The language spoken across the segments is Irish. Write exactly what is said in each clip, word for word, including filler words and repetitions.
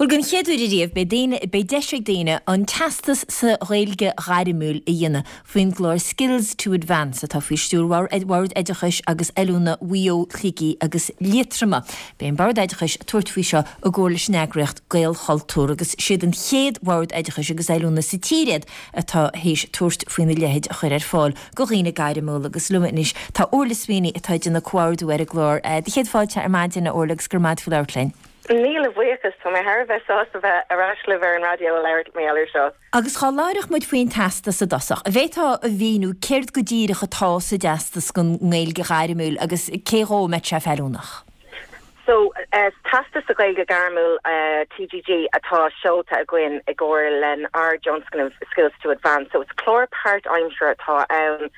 Bhuel den chéad uair ariamh beidh daoine beidh deis ag daoine an teastas sa Ghaeilge ghairmiúil a dhéanamh faoin gclár Skills to Advance atá faoi stiúir Bhord Oideachais agus Oiliúna Mhaigh Eo, Shligigh agus Liatroma. Beidh an Bord Oideachais ag tabhairt faoi seo i gcomhar leis an eagraíocht Gaelchultúr agus siad an chéad Bhord Oideachais agus Oiliúna sa tír iad atá théis tabhairt faoina leithéid a chur ar fáil do dhaoine gairmiúla agus liom anois tá Orla Sweeney atá ag déanamh comhordú ar an gclár. Do chéad fáilte ar maidin a Orla agus go raibh maith agat faoi labhairt linn. Míle buíochas tá mé thar a bheith sásta bheith ar ais libh ar an raidió a labhairt mé air seo. Agus dhá labhródh muid faoin teastas i dtosach. An bhféadfá a mhíniú céard go díreach atá sa dteastas don nGaeilge ghairmiúil agus cé dhó a mbeadh sé feiliúnach. So uh, teastas sa Ghaeilge Ghairmiúil uh, TGG atá seolta againn i gcomhar lenár dtionscnamh Skills to Advance. So it's clár páirtaimseartha atá ann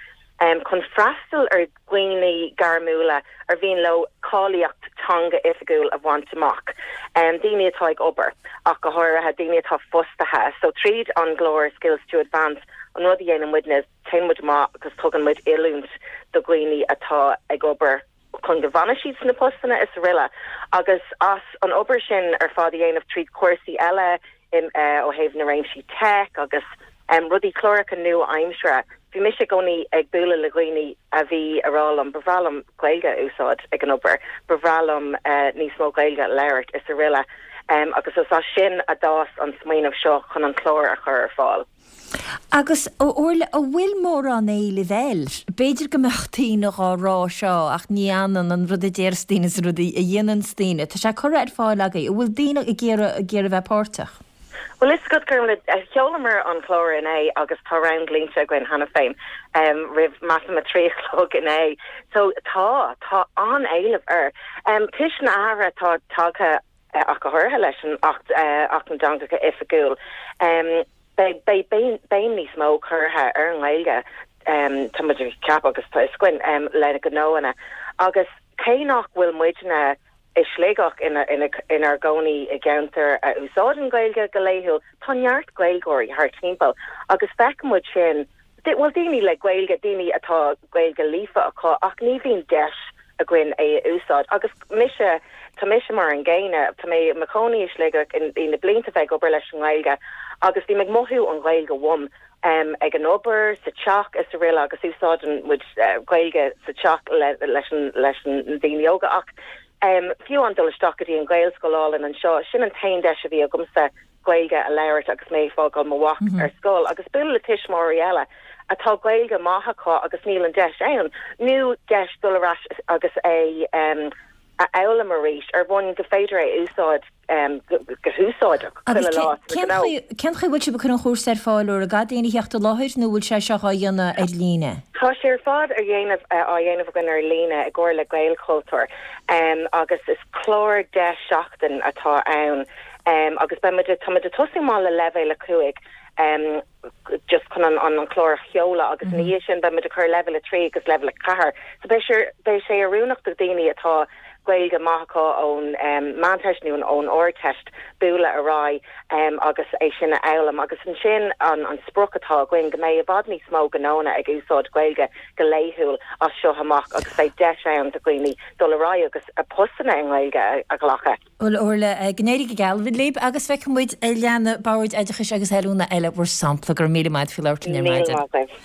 um, chun freastal ar dhaoine gairmiúla ar mhian leo cáilíocht teanga oifigiúil a bhaint amach. Um, daoine atá ag obair ach go háirithe daoine atá fostaithe, so tríd an gclár Skills to Advance an rud a dhéanann muidne téann muid amach agus tugann muid oiliúint do dhaoine atá ag obair chun go bhfanfaidh siad sna postanna is araile agus as an obair sin ar fad a dhéanamh tríd cúrsaí eile in uh, ó thaobh na réimsí tech agus um, rudaí cláracha nua-aimseartha. Bhí mise i gcónaí ag bualadh le dhaoine a bhí ag rá liom ba bhreá liom Gaeilge a úsáid ag an obair, ba bhreá liom uh, níos mó Gaeilge a labhairt is araile. Um, agus is as sin a d'fhás an smaoineamh seo chun an clár a chur ar fáil. Agus Orla an bhfuil mórán éilimh air, B'fhéidir go mbeadh daoine á rá seo ach ní hionann an rud a deir daoine is rud a dhéanann daoine. Tá sé curtha ar fáil agaibh, an bhfuil daoine ag iarraidh ag iarraidh bheith páirteach. Well is go gur le sheolamar an clár inné agus tá round línte againn cheana féin um, roimh measaim a trí a chlog inné. So tá tá an-éileamh air. Um, Toisc na hathruithe atá tagtha uh, ach go háirithe leis an Acht uh, Acht na dTeangacha Oifigiúil. Um, Beidh béim níos mó curtha ar an nGaeilge um, tá ceap agus tá scuin um, le gnóanna. Agus cé nach bhfuil muidne i Sligeach inár gcónaí i gceantar a úsáideann Gaeilge go laethúil tá neart Gaeilgeoirí thar timpeall agus feicimid sin bhfuil daoine le Gaeilge daoine atá Gaeilge líofa acu ach ní bhíonn deis againn é a úsáid agus mise tá mise mar an gcéanna tá mé i mo chónaí i Sligeach in na blianta bheith obair leis an nGaeilge agus bhí mé ag mothú an Ghaeilge uaim um, ag an obair sa teach is araile agus úsáideann muid uh, Gaeilge sa teach le, leis an leis an daoine óga ach um, fiú an dul isteach go dtí an Ghaelscoil anseo sin an t-aon deis a bhí agamsa Gaeilge a labhairt agus mé fágáil mo mhac mm -hmm. ar scoil agus bualadh le tuismitheoirí eile atá Gaeilge maith acu agus níl an deis ann nó deis dul ar ais agus é um, a fhoghlaim arís ar bhonn go féidir é úsáid um, go húsáideach Cén chaoi bhfuil sibh ag cur an chúrsa ar fáil ar gá daoine theacht i láthair nó bhfuil sé seo á dhéanamh ar líne? Tá sé ar fad ar dhéanamh á dhéanamh againn ar líne i gcomhar le Gaelchultúr um, agus is clár deich seachtain atá ann um, agus beimid tá tosú amach le leibhéal a cúig um, just chun an an an clár a sheoladh agus mm -hmm. ní sin beimid ag cur leibhéal a trí agus leibhéal a ceathair. So beidh sé oiriúnach do daoine atá Gaeilge maith acu ón um, Meánteist nó ón Ardteist bualadh ar aghaidh um, agus é sin a fhoghlaim agus ansin an, an sprioc atá againn go mbeidh i bhfad níos mó gnónna ag úsáid Gaeilge go laethúil as seo amach agus beidh deis ann do dhaoine dul ar aghaidh agus a postanna i nGaeilge a, a ghlacadh. Bhuel Orla go n-éirí go geal libh agus feicfidh muid leanfaidh Bord Oideachais agus Oiliúna eile bhur sampla go míle maith faoi labhairt linn ar maidin.